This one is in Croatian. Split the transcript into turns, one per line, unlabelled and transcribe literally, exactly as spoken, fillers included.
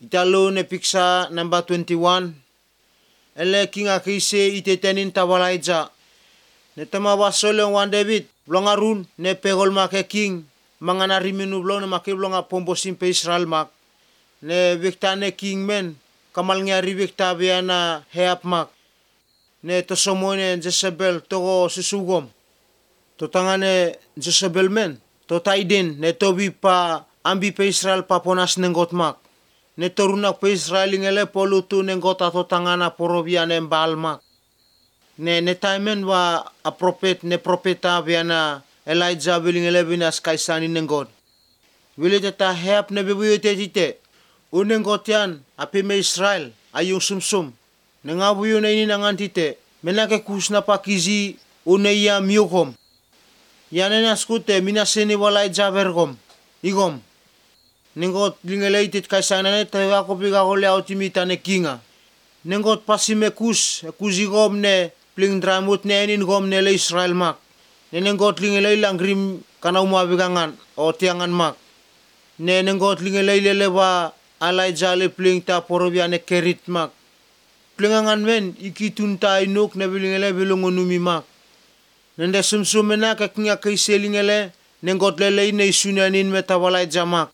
Italo ne piksa number twenty-one. Ele kinga kise itetenin tawalaija. Ne tama wasole wan David blongarun ne pegol make king mangana riminu blong ne make blonga pombosim pe Israel mak. Ne vikta ne king men kamal ngari vikta biana heap mak. Ne tosomone Jezebel togo susugom. Totangane Jezebel men to taiden ne tobi pa ambi pe Israel paponas nengot mak. Ne torunak pe Israel ingele polutu nengot ato tangana porobia ne mbal mak. Ne ne taimen wa a prophet ne propeta biana Elijah bilingele binas kaisani nengot. Wile tata heap ne bebuyete tite. Unengot yan api me Israel ayung sumsum. Nengabuyo na ini nangan tite. Menake kusna pakizi uneya miukom. Yanena skute minaseni walai javergom. Igom. Nengot lingele kaisana ne tawa ko biga ko leo timita ne kinga. Nengot pasime kus kuzigom ne pling dramut ne enin gom ne le Israel mak. Ne nengot lingele langrim kana umwa bigangan o tiangan mak. Ne nengot lingele lelewa Elijah le pling ta porobia ne kerit mak. Plingangan men ikitun ta inuk ne bilingele bilungunumi mak. Nende sumsumena ka kinga kaiselingele nengot lele ne isunanin metawalai jamak.